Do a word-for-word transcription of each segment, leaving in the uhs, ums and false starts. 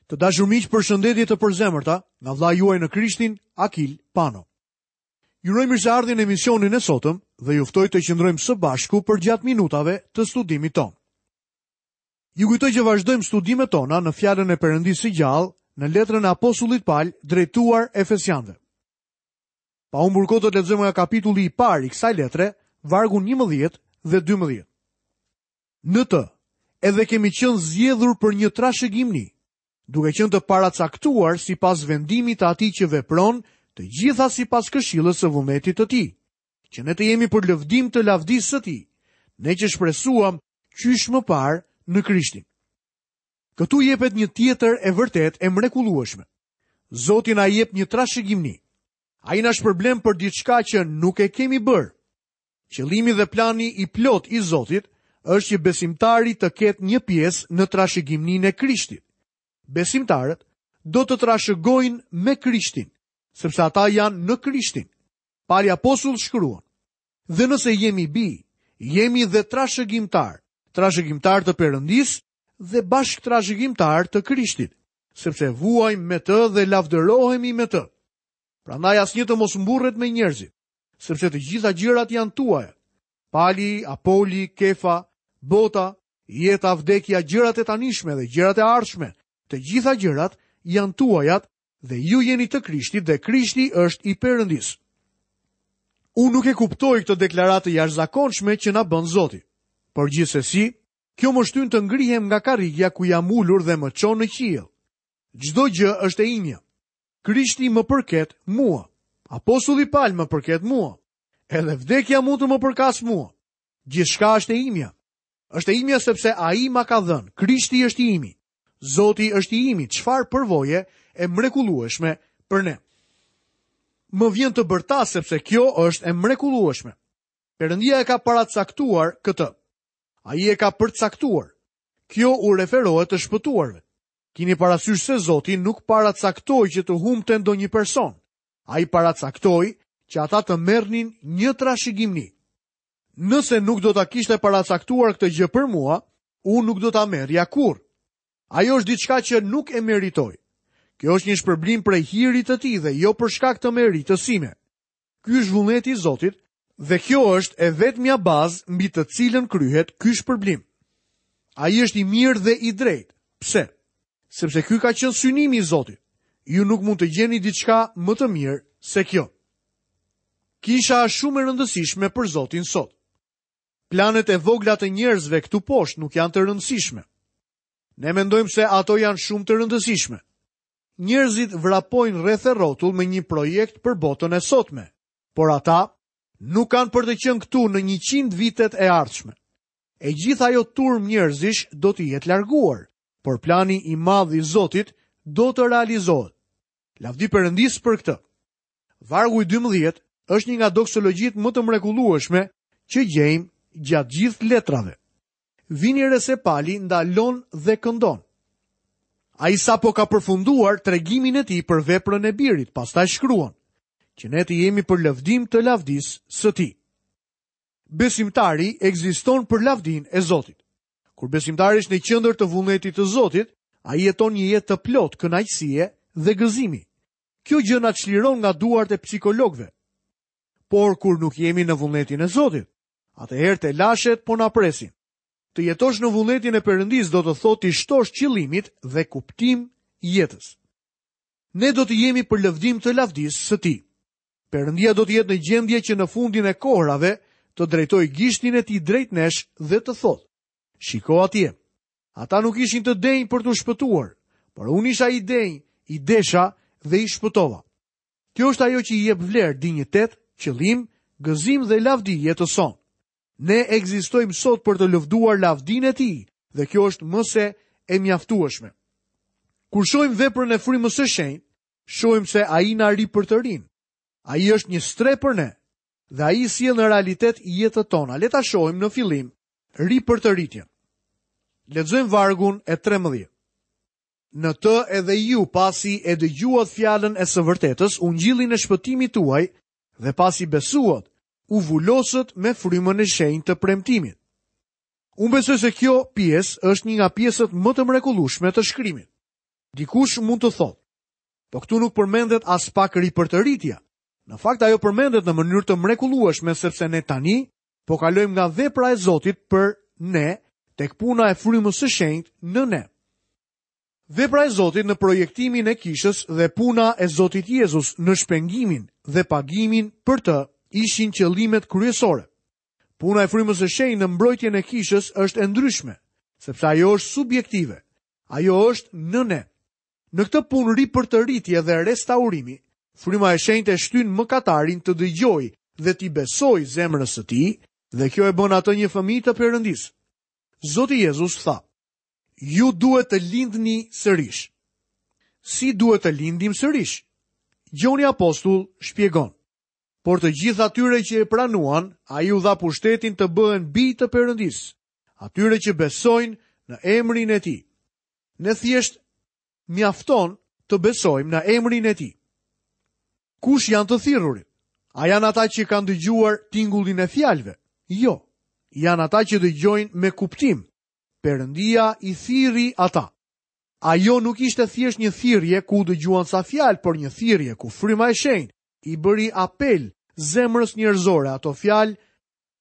Të dashur miq, përshëndetje të përzemërta nga vëllai juaj në Krishtin, Akil Pano. Ju uroj mirëseardhjen në emisionin e sotëm dhe ju ftoj të qëndrojmë së bashku përgjatë minutave të studimit tonë. Ju kujtoj që vazhdojmë studimet tona në fjalën e Perëndisë së gjallë në letrën e apostullit Pal drejtuar Efesianëve. Pa humbur kohë do të lexojmë nga kapitulli i parë i kësaj letre, vargun njëmbëdhjetë dhe dymbëdhjetë. Në të, edhe kemi qenë zgjedhur për një trashëgimni, duke qenë të paracaktuar sipas vendimit të atij që vepron të gjitha sipas këshillës së vullnetit të tij, që ne të jemi për lëvdim të lavdisë së tij, ne që shpresuam qysh më parë në Krishtin. Këtu jepet një tjetër e vërtetë e mrekullueshme. Zoti na jep një trashëgimni. Ai na shpërblen për diçka që nuk e kemi bërë. Qëllimi dhe plani i plot i Zotit është që besimtari të ketë një pjesë në trashëgimninë e Krishtit. Besimtarët do të trashëgojnë me Krishtin, sepse ata janë në Krishtin. Pali apostull shkruan: Dhe nëse jemi bij, jemi dhe trashëgimtar, trashëgimtar të Perëndisë dhe bashkë trashëgimtar të Krishtit, sepse vuajmë me të dhe lavdërohemi me të. Prandaj asnjë të mos mburret me njerëzit, sepse të gjitha gjërat janë tuaja. Pali, Apoli, Kefa, bota, jeta, vdekja, gjërat e tanishme dhe gjërat e ardhshme, të gjitha gjërat janë tuajat dhe ju jeni të Krishtit dhe Krishti është i Perëndisë. Unë nuk e kuptoj këtë deklaratë të jashtëzakonshme që na bën Zoti. Por gjithsesi, kjo më shtyn të ngrihem nga karrigia ku jam ulur dhe më çon në qiell. Çdo gjë është e imja. Krishti më përket mua. Apostulli Pal më përket mua. Edhe vdekja mund të më përkas mua. Gjithçka është e imja. Është e imja sepse ai ma ka dhënë. Krishti është i imi. Zoti është i imi. Çfarë përvoje e mrekullueshme për ne. Më vjen të bërtas sepse kjo është e mrekullueshme. Perëndia e ka paracaktuar këtë. Ai e ka përcaktuar. Kjo u referohet të shpëtuarve. Kini parasysh se Zoti nuk paracaktoi që të humbte ndonjë person. Ai paracaktoi që ata të merrnin një trashëgimni. Nëse nuk do ta kishte paracaktuar këtë gjë për mua, unë nuk do ta merrja kurrë. Ajo është diçka që nuk e meritoj. Kjo është një shpërblim prej hirit të tij dhe jo për shkak të meritës sime. Ky është vullneti i Zotit dhe kjo është e vetmja bazë mbi të cilën kryhet ky shpërblim. Ai është i mirë dhe i drejtë. Pse? Sepse ky ka qenë synimi i Zotit. Ju nuk mund të gjeni diçka më të mirë se kjo. Kisha është shumë e rëndësishme për Zotin sot. Planet e vogla të njerëzve këtu poshtë nuk janë të rëndësishme. Ne mendojmë se ato janë shumë të rëndësishme. Njerëzit vrapojnë rreth e rrotull me një projekt për botën e sotme, por ata nuk kanë për të qenë këtu në njëqind vitet e ardhshme. E gjitha ajo turmë njerëzish do të jetë larguar, por plani i madh i Zotit do të realizohet. Lavdi Perëndisë për këtë. Vargu i dymbëdhjetë është një nga doksologjitë më të mrekullueshme që gjejmë gjatë gjithë letrave. Vini re se Pali ndalon dhe këndon. Ai sapo ka përfunduar tregimin e tij për veprën e birit, pastaj shkruan që ne të jemi për lëvdim të lavdisë së tij. Besimtari ekziston për lavdinë e Zotit. Kur besimtari është në qendër të vullnetit të Zotit, ai jeton një jetë të plotë kënaqësie dhe gëzimi. Kjo gjë na çliron nga duart e psikologëve. Por kur nuk jemi në vullnetin e Zotit, atëherë telashet po na presin. Të jetosh në vullnetin e Perëndisë do të thotë të shtosh qëllimit dhe kuptim jetës. Ne do të jemi për lëvdim të lavdisë së tij. Perëndia do të jetë në gjendje që në fundin e kohrave të drejtojë gishtin e tij drejt nesh dhe të thotë: Shiko atje. Ata nuk ishin të denjë për t'u shpëtuar, por unë isha i denjë, i desha dhe i shpëtova. Kjo është ajo që i jep vlerë, dinjitet, qëllim, gëzim dhe lavdi jetës sonë. Ne ekzistojmë sot për të lëvduar lavdinë e tij dhe kjo është më se e mjaftueshme. Kur shohim veprën e frymës së shenjtë, shohim se ai na ripërtërin. Ai është një strehë për ne dhe ai sjell në realitet jetët tona. Le ta shohim në fillim ripërtëritjen. Lexojmë vargun e trembëdhjetë. Në të edhe ju, pasi e dëgjuat fjalën e së vërtetës, ungjillin e shpëtimit tuaj, dhe pasi besuat, u vulosët me frymën e shenjtë të premtimit. Unë besoj se kjo pjesë është një nga pjesët më të mrekullueshme të shkrimit. Dikush mund të thotë, po këtu nuk përmendet as pak ripërtëritja. Në fakt ajo përmendet në mënyrë të mrekullueshme sepse ne tani po kalojmë nga vepra e Zotit për ne tek puna e frymës së shenjtë në ne. Vepra e Zotit në projektimin e kishës dhe puna e Zotit Jezus në shpengimin dhe pagimin për të ishin qëllimet kryesore. Puna e frymës së shenjtë në mbrojtjen e kishës është e ndryshme, sepse ajo është subjektive. Ajo është në ne. Në këtë punë ripërtëritje dhe restaurimi, fryma e shenjtë e shtyn mëkatarin të dëgjojë dhe t'i besojë zemrës së tij, dhe kjo e bën atë një fëmijë të Perëndisë. Zoti Jezus tha: "Ju duhet të lindni sërish." Si duhet të lindim sërish? Gjoni Apostull shpjegon: Por të gjithë atyre që e pranuan, ai u dha pushtetin të bëhen bij të Perëndisë, atyre që besojnë në emrin e tij. Ne thjesht mjafton të besojmë në emrin e tij. Kush janë të thirrurit? A janë ata që kanë dëgjuar tingullin e fjalëve? Jo, janë ata që dëgjojnë me kuptim. Perëndia i thirri ata. Ajo nuk ishte thjesht një thirrje ku dëgjuan sa fjalë, por një thirrje ku fryma e shenjtë i bëri apel zemrës njerëzore. Ato fjalë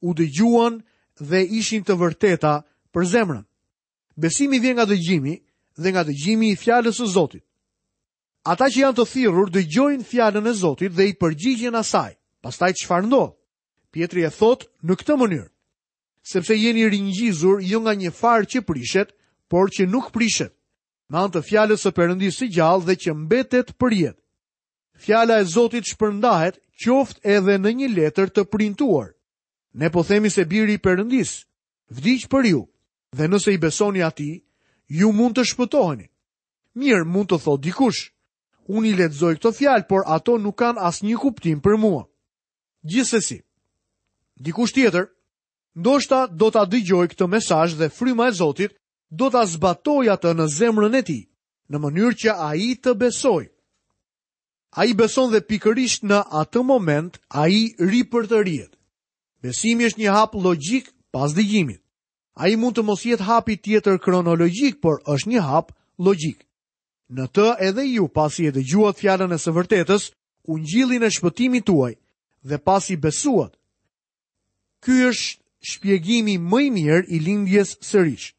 u dëgjuan dhe ishin të vërteta për zemrën. Besimi vjen nga dëgjimi dhe nga dëgjimi i fjalës së Zotit. Ata që janë të thirrur dëgjojnë fjalën e Zotit dhe i përgjigjen asaj. Pastaj çfarë ndodh? Pjetri e thotë në këtë mënyrë: sepse jeni ringjizur jo nga një farë që prishet, por që nuk prishet, me anë të fjalës së Perëndisë së gjallë dhe që mbetet për jetë. Fjala e Zotit shpërndahet qoftë edhe në një letër të printuar. Ne po themi se biri i Perëndisë vdiq për ju, dhe nëse i besoni atij, ju mund të shpëtoheni. Mirë, mund të thotë dikush, unë i lexoj këto fjalë, por ato nuk kanë asnjë kuptim për mua. Gjithsesi, dikush tjetër ndoshta do ta dëgjojë këtë mesazh dhe fryma e Zotit do ta zbatojë atë në zemrën e tij, në mënyrë që ai të besojë. Ai beson dhe pikërisht në atë moment ai ripërtërihet. Besimi është një hap logjik pas dëgjimit. Ai mund të mos jetë hapi tjetër kronologjik, por është një hap logjik. Në të edhe ju, pasi e dëgjuat fjalën e së vërtetës, ungjillin e shpëtimit tuaj, dhe pasi besuat. Ky është shpjegimi më i mirë i lindjes sërish.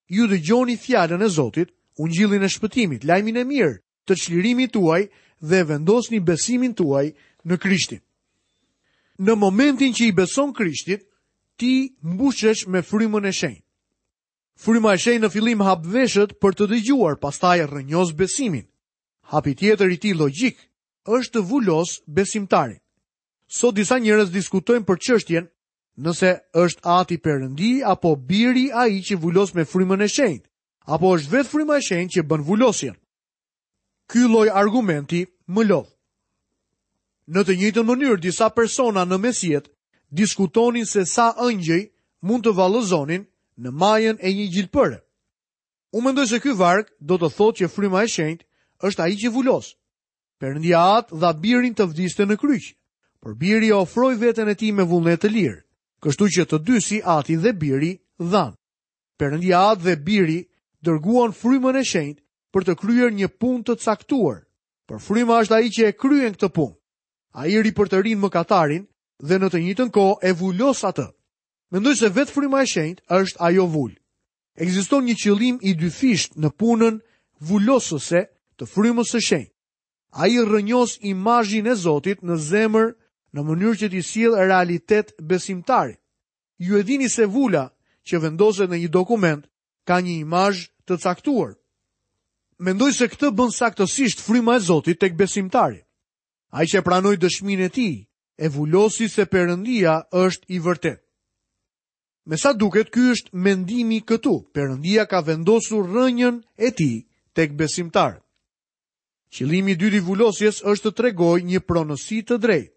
Ju dëgjoni fjalën e Zotit, ungjillin e shpëtimit, lajmin e mirë të çlirimit tuaj dhe vendosni besimin tuaj në Krishtin. Në momentin që i beson Krishtit, ti mbushesh me frymën e shenjtë. Fryma e shenjtë në fillim hap veshët për të dëgjuar, pastaj rrënjos besimin. Hapi tjetër i tij logjik është të vulos besimtarin. Sot disa njerëz diskutojnë për çështjen nëse është Ati Perëndi apo biri ai që vulos me frymën e shenjtë, apo është vetë fryma e shenjtë që bën vulosjen. Ky lloj argumenti më lodh. Në të njëjtën mënyrë, disa persona në mesjet diskutonin se sa ëngjëj mund të vallëzonin në majën e një gjilpëre. Unë mendoj se ky varg do të thotë që fryma e shenjtë është ai që vulos. Perëndia At dha birin të vdiste në kryq, por biri ofroi veten e tij me vullnet të lirë, kështu që të dy si Ati dhe biri dhanë. Perëndia At dhe biri dërguan frymën e shenjtë për të kryer një punë të caktuar, por fryma është ai që e kryen këtë punë. Ai ripërtërin mëkatarin dhe në të njëjtën kohë e vulos atë. Mendoj se vetë fryma e shenjtë është ajo vulë. Ekziston një qëllim i dyfisht në punën vulosëse të frymës së shenjtë. Ai rrënjos imazhin e Zotit në zemër në mënyrë që t'i sjellë realitet besimtarit. Ju e dini se vula që vendoset në një dokument ka një imazh të caktuar. Mendoj se këtë bën saktësisht fryma e Zotit tek besimtari. Ai që pranoi dëshminë e tij, e vulosi se Perëndia është i vërtetë. Me sa duket, ky është mendimi këtu. Perëndia ka vendosur rrënjën e tij tek besimtarët. Qëllimi i dytë i vulosjes është të tregojë një pronësi të drejtë.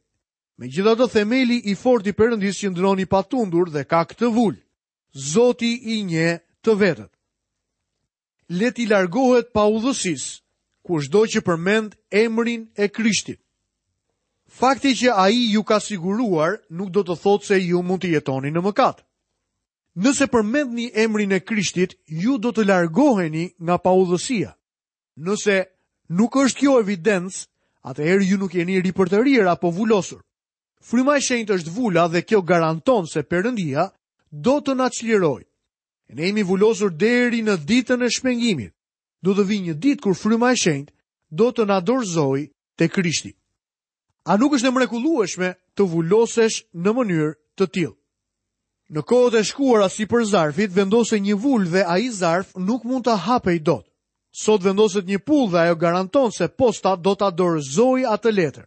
Megjithatë, themeli i fortë i Perëndisë qëndron i patundur dhe ka këtë vulë: Zoti i njeh të vetët. Le t'i largohet paudhësisë, kushdo që përmend emrin e Krishtit. Fakti që ai ju ka siguruar nuk do të thotë se ju mund të jetoni në mëkat. Nëse përmendni emrin e Krishtit, ju do të largoheni nga paudhësia. Nëse nuk është kjo evidencë, atëherë ju nuk jeni ripërtërirë apo vulosur. Fryma e Shenjtë është vula dhe kjo garanton se Perëndia do të na çlirojë. Ne jemi vulosur deri në ditën e shpengimit. Do të vijë një ditë kur Fryma e Shenjtë do të na dorëzojë te Krishti. A nuk është e mrekullueshme të vulosesh në mënyrë të tillë? Në kohët e shkuara sipër zarfit vendosej një vulë dhe ai zarf nuk mund të hapej dot. Sot vendoset një pullë dhe ajo garanton se posta do ta dorëzojë atë letër.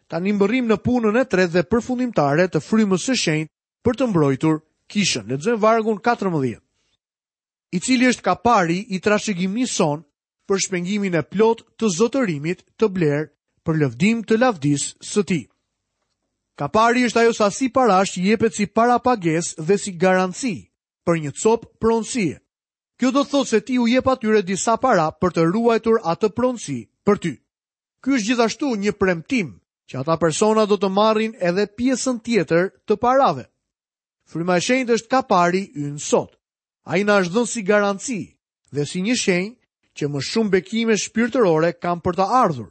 Tani mbërrim në punën e tretë dhe përfundimtare të Frymës së Shenjtë për të mbrojtur kishën. Lexojmë vargun katërmbëdhjetë. I cili është kapari i trashëgimisë sonë për shpengimin e plot të zotërimit të bler për lëvdim të lavdisë së tij. Kapari është ajo sasi parash që jepet si parapagesë dhe si garanci për një copë pronësie. Kjo do të thotë se ti u jep atyre disa para për të ruajtur atë pronësi për ty. Ky është gjithashtu një premtim që ata persona do të marrin edhe pjesën tjetër të parave. Fryma e Shenjtë është kapari ynë sot. Ai na është dhënë si garanci dhe si një shenjë që më shumë bekime shpirtërore kanë për të ardhur.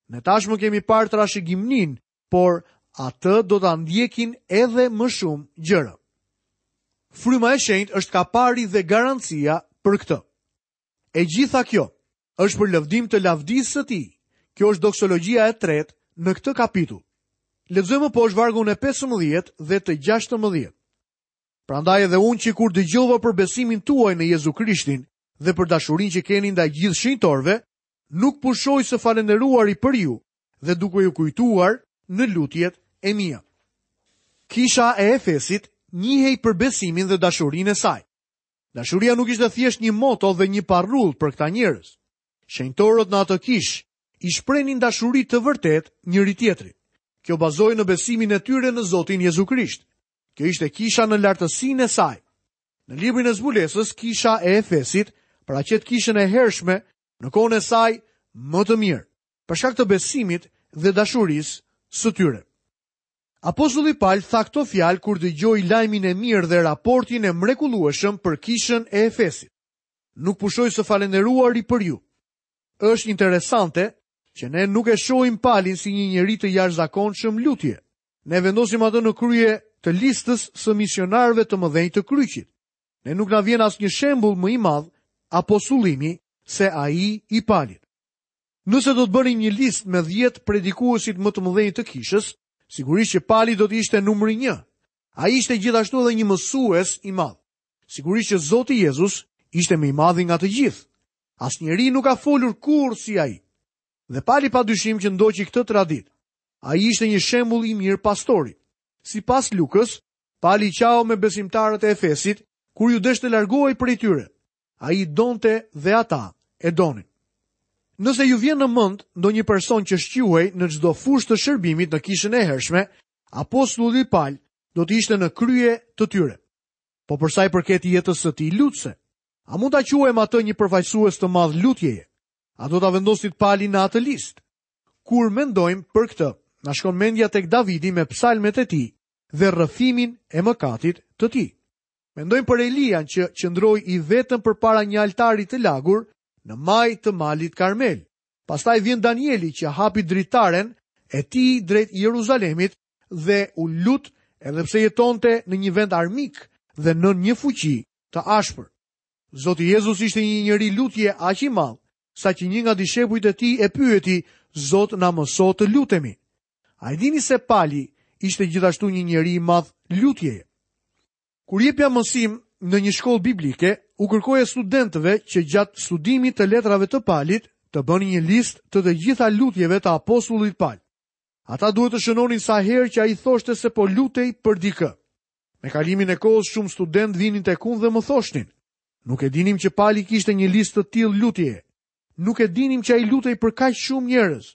Ne tashmë kemi parë trashëgimnin, por atë do ta ndjekin edhe më shumë gjëra. Fryma e Shenjtë është kapari dhe garancia për këtë. E gjitha kjo është për lëvdim të lavdisë së tij. Kjo është doksologjia e tretë në këtë kapitull. Lexojmë poshtë vargun e pesëmbëdhjetë dhe të gjashtëmbëdhjetë. Prandaj edhe unë që kur dëgjova për besimin tuaj në Jezu Krishtin dhe për dashurinë që keni ndaj gjithë shenjtorëve, nuk pushoj së falënderuari për ju dhe duke ju kujtuar në lutjet e mia. Kisha e Efesit njihej për besimin dhe dashurinë e saj. Dashuria nuk ishte thjesht një moto dhe një parrull për këta njerëz. Shenjtorët në atë kishë i shprenin dashuri të vërtet njëri tjetrit. Kjo bazohej në besimin e tyre në Zotin Jezu Krisht. Kjo ishte kisha në lartësinë e saj. Në librin e zbulesës, kisha e Efesit paraqet kishën e hershme në kohën e saj më të mirë, për shkak të besimit dhe dashurisë së tyre. Apostulli Paul tha këto fjalë kur dëgjoi lajmin e mirë dhe raportin e mrekullueshëm për kishën e Efesit. Nuk pushoj së falënderuari për ju. Është interesante që ne nuk e shohim Palin si një njeri të jashtëzakonshëm lutje. Ne vendosim atë në krye të listës së misionarëve të mëdhenj të kryqit. Ne nuk na vjen asnjë shembull më i madh apostullimi se ai i Palit. Nëse do të bënim një listë me dhjetë predikuesit më të mëdhenj të kishës, sigurisht që Pali do të ishte numri një. Ai ishte gjithashtu edhe një mësues i madh. Sigurisht që Zoti Jezus ishte më i madhi nga të gjithë. Asnjeri nuk ka folur kurrë si ai. Dhe Pali padyshim që ndoqi këtë traditë. Ai ishte një shembull i mirë pastori. Sipas Lukës, Pali qau me besimtarët e Efesit kur ju desh të largohej prej tyre. Ai donte dhe ata e donin. Nëse ju vjen në mend ndonjë person që shquhej në çdo fushë të shërbimit në kishën e hershme, apostulli Paul do të ishte në krye të tyre. Po për sa i përket jetës së tij lutëse, a mund ta quajmë atë një përfaqësues të madh lutjeje? A do ta vendosit Palin në atë listë? Kur mendojmë për këtë, na shkon mendja tek Davidi me psalmet e tij dhe rrëfimin e mëkatit të tij. Mendojmë për Elian që qëndroi i vetëm përpara një altari të lagur në maj të malit Karmel. Pastaj vjen Danieli që hapi dritaren e tij drejt Jeruzalemit dhe u lut edhe pse jetonte në një vend armik dhe në një fuqi të ashpër. Zoti Jezus ishte një njeri lutje aq i madh, saqë një nga dishepujt e tij e pyeti, Zot, na mëso të lutemi. A e dini se Pali ishte gjithashtu një njeri i madh lutjeje? Kur jepja mësim në një shkollë biblike, u kërkoja studentëve që gjatë studimit të letrave të Palit të bënin një listë të të gjitha lutjeve të apostullit Pal. Ata duhet të shënonin sa herë që ai thoshte se po lutej për dikë. Me kalimin e kohës shumë studentë vinin tek unë dhe më thoshnin, nuk e dinim që Pali kishte një listë të tillë lutjeje. Nuk e dinim që ai lutej për kaq shumë njerëz.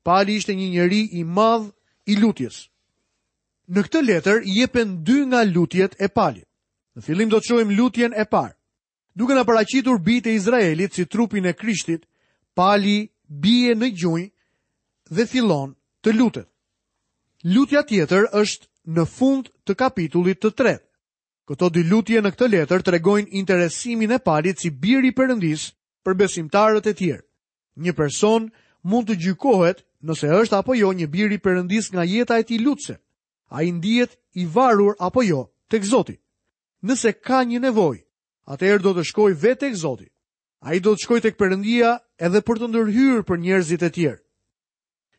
Pali ishte një njeri i madh i lutjes. Në këtë letër jepen dy nga lutjet e Palit. Në fillim do të shohim lutjen e parë. Duke na paraqitur bijtë e Izraelit si trupin e Krishtit, Pali bie në gjunjë dhe fillon të lutet. Lutja tjetër është në fund të kapitullit të tretë. Këto dy lutje në këtë letër tregojnë interesimin e Palit si biri i Perëndisë për besimtarët e tjerë. Një person mund të gjykohet nëse është apo jo një bir i Perëndisë nga jeta e tij lutëse. Ai ndihet i varur apo jo tek Zoti. Nëse ka një nevojë, atëherë do të shkojë vetë tek Zoti. Ai do të shkojë tek Perëndia edhe për të ndërhyrë për njerëzit e tjerë.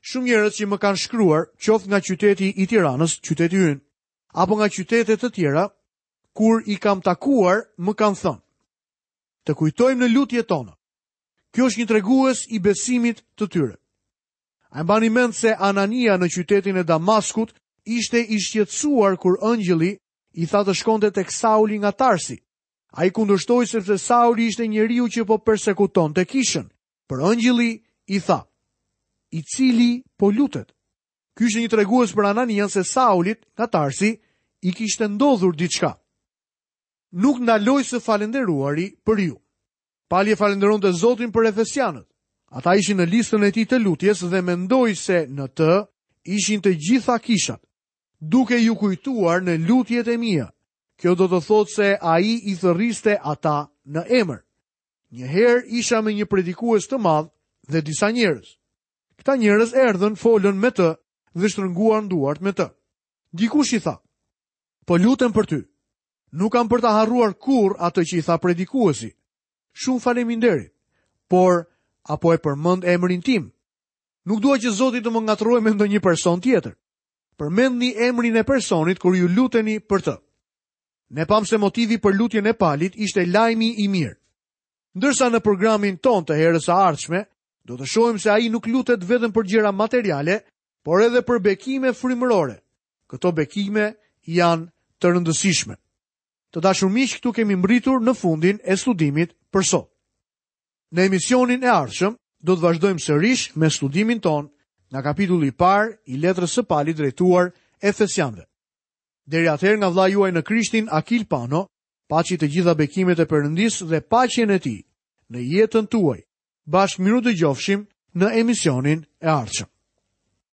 Shumë njerëz që më kanë shkruar, qoftë nga qyteti i Tiranës, qyteti ynë, apo nga qytete të tjera, kur i kam takuar, më kanë thënë: "Të kujtojmë në lutjet tona." Kjo është një tregues i besimit të tyre. A e mbani mend se Anania në qytetin e Damaskut ishte i shqetësuar kur engjëlli i tha të shkonte tek Sauli nga Tarsi? Ai kundërshtoi sepse Sauli ishte njeriu që po persekutonte kishën, por engjëlli i tha: "I cili po lutet." Ky ishte një tregues për Ananian se Saulit nga Tarsi i kishte ndodhur diçka. Nuk ndaloj së falënderuari për ju. Pali e falënderonte Zotin për Efesianët. Ata ishin në listën e tij të lutjes dhe mendoi se në të ishin të gjitha kishat, duke ju kujtuar në lutjet e mia. Kjo do të thotë se ai i thërriste ata në emër. Një herë isha me një predikues të madh dhe disa njerëz. Këta njerëz erdhën, folën me të dhe shtrënguan duart me të. Dikush i tha: "Po lutem për ty." Nuk kam për ta harruar kurrë atë që i tha predikuesi. Shumë faleminderit, por apo e përmend emrin tim? Nuk dua që Zoti të më ngatërrojë me ndonjë person tjetër. Përmendni emrin e personit kur ju luteni për të. Ne pam se motivi për lutjen e Palit ishte lajmi i mirë. Ndërsa në programin ton të herës së ardhshme, do të shohim se ai nuk lutet vetëm për gjëra materiale, por edhe për bekime frymërore. Këto bekime janë të rëndësishme. Të dashur miq, këtu kemi mbërritur në fundin e studimit për sot. Në emisionin e ardhshëm do të vazhdojmë sërish me studimin ton nga kapitulli i parë i letrës së Palit drejtuar Efesianëve. Deri atëherë nga vëllai juaj në Krishtin Akil Pano, paçi të gjitha bekimet e Perëndisë dhe paqen e tij në jetën tuaj. Bashkë mirudëgjofshim në emisionin e ardhshëm.